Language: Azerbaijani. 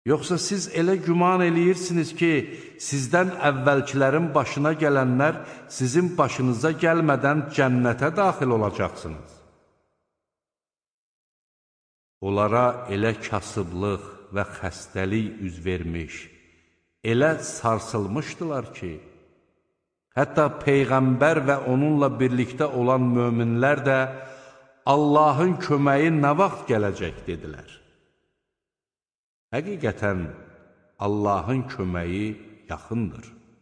Yoxsa siz elə güman eləyirsiniz ki, sizdən əvvəlkilərin başına gələnlər sizin başınıza gəlmədən cənnətə daxil olacaqsınız. Onlara elə kasıblıq və xəstəlik üz vermiş, elə sarsılmışdılar ki, hətta Peyğəmbər və onunla birlikdə olan möminlər də Allahın köməyi nə vaxt gələcək dedilər. Həqiqətən, Allahın köməyi yaxındır.